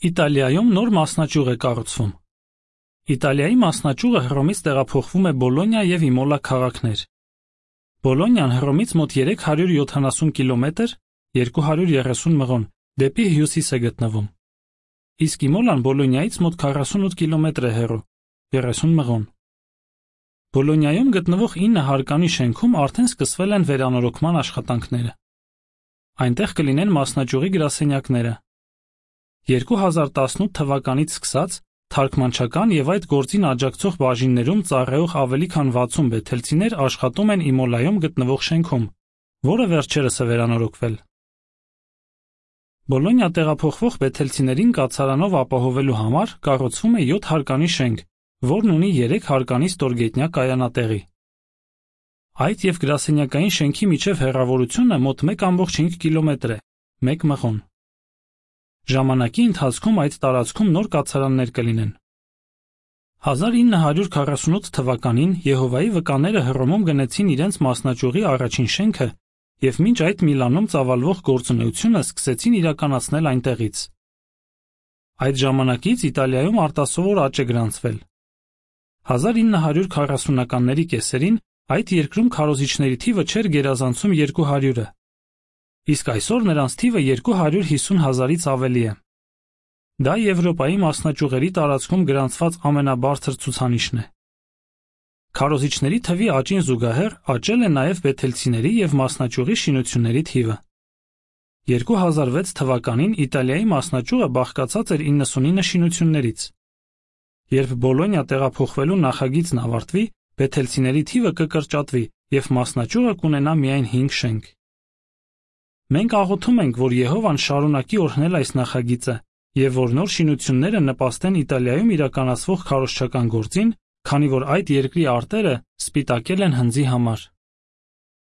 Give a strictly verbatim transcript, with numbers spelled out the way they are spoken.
Իտալիայում նոր մասնաճյուղ է կառուցվում։ Իտալիայի մասնաճյուղը Հռոմից տեղափոխվում է Բոլոնիա և Իմոլա քաղաքներ։ Բոլոնիան Հռոմից մոտ երեք հարյուր յոթանասուն կիլոմետր երկու հարյուր երեսուն մղոն դեպի հյուսիս է գտնվում։ Իսկ Իմոլան Բոլոնիայից մոտ քառասունութ կիլոմետր է հեռու երեսուն մղոն։ Բոլոնիայում գտնվող ինը հարկանի շենքում արդեն սկսվել են վերանորոգման աշխատանքները։ Այնտեղ կլինեն մասնաճյուղի գրասենյակները։ երկու հազար տասնութ թվականից սկսած թարգմանչական և այդ գործին աջակցող բաժիններում ծառայող ավելի քան վաթսուն բեթելցիներ աշխատում են Իմոլայում գտնվող շենքում, որը վերջերս է վերանորոգվել։ Բոլոնիա տեղափոխվող բեթելցիներին կացարանով ապահովելու համար կառուցվում է յոթ հարկանի շենք, որն ունի երեք հարկանի ստորգետնյա կայանատեղի։ Այդ և գրասենյակային շենքի միջև հեռավորությունը մոտ մեկ կόμma պինգ կիլոմետր է, մեկ մղոն։ Ժամանակի ընթացքում այդ տարածքում նոր կացարաններ կլինեն։ հազար ինը հարյուր քառասունութ թվականին Եհովայի վկաները Հռոմում գնեցին իրենց մասնաճյուղի առաջին շենքը և մինչ այդ Միլանում ծավալվող գործունեությունը սկսեցին իրականացնել այնտեղից։ Այդ ժամանակից Իտալիայում արտասովոր աճ է գրանցվել։ հազար ինը հարյուր քառասունականների կեսերին այդ երկրում քարոզիչների թիվը չէր գերազանցում երկու հարյուրը, իսկ այսօր նրանց թիվը երկու հարյուր հիսուն հազարից ավելի է։ Դա Եվրոպայի մասնաճյուղերի տարածքում գրանցված ամենաբարձր ցուցանիշն է։ Քարոզիչների թվի աճին զուգահեռ աճել է նաև բեթելցիների և մասնաճյուղի շինությունների թիվը։ երկու հազար վեց թվականին Իտալիայի մասնաճյուղը բաղկացած էր իննսունինը շինություններից։ Երբ Բոլոնիա տեղափոխվելու նախագիծն ավարտվի, բեթելցիների թիվը կկրճատվի և մասնաճյուղը կունենա միայն հինգ շենք։ Մենք աղոթում ենք, որ Եհովան շարունակի օրհնել այս նախագիծը և որ նոր շինությունները նպաստեն Իտալիայում իրականացվող քարոզչական գործին, քանի որ այդ երկրի արտերը սպիտակել են հնձի համար։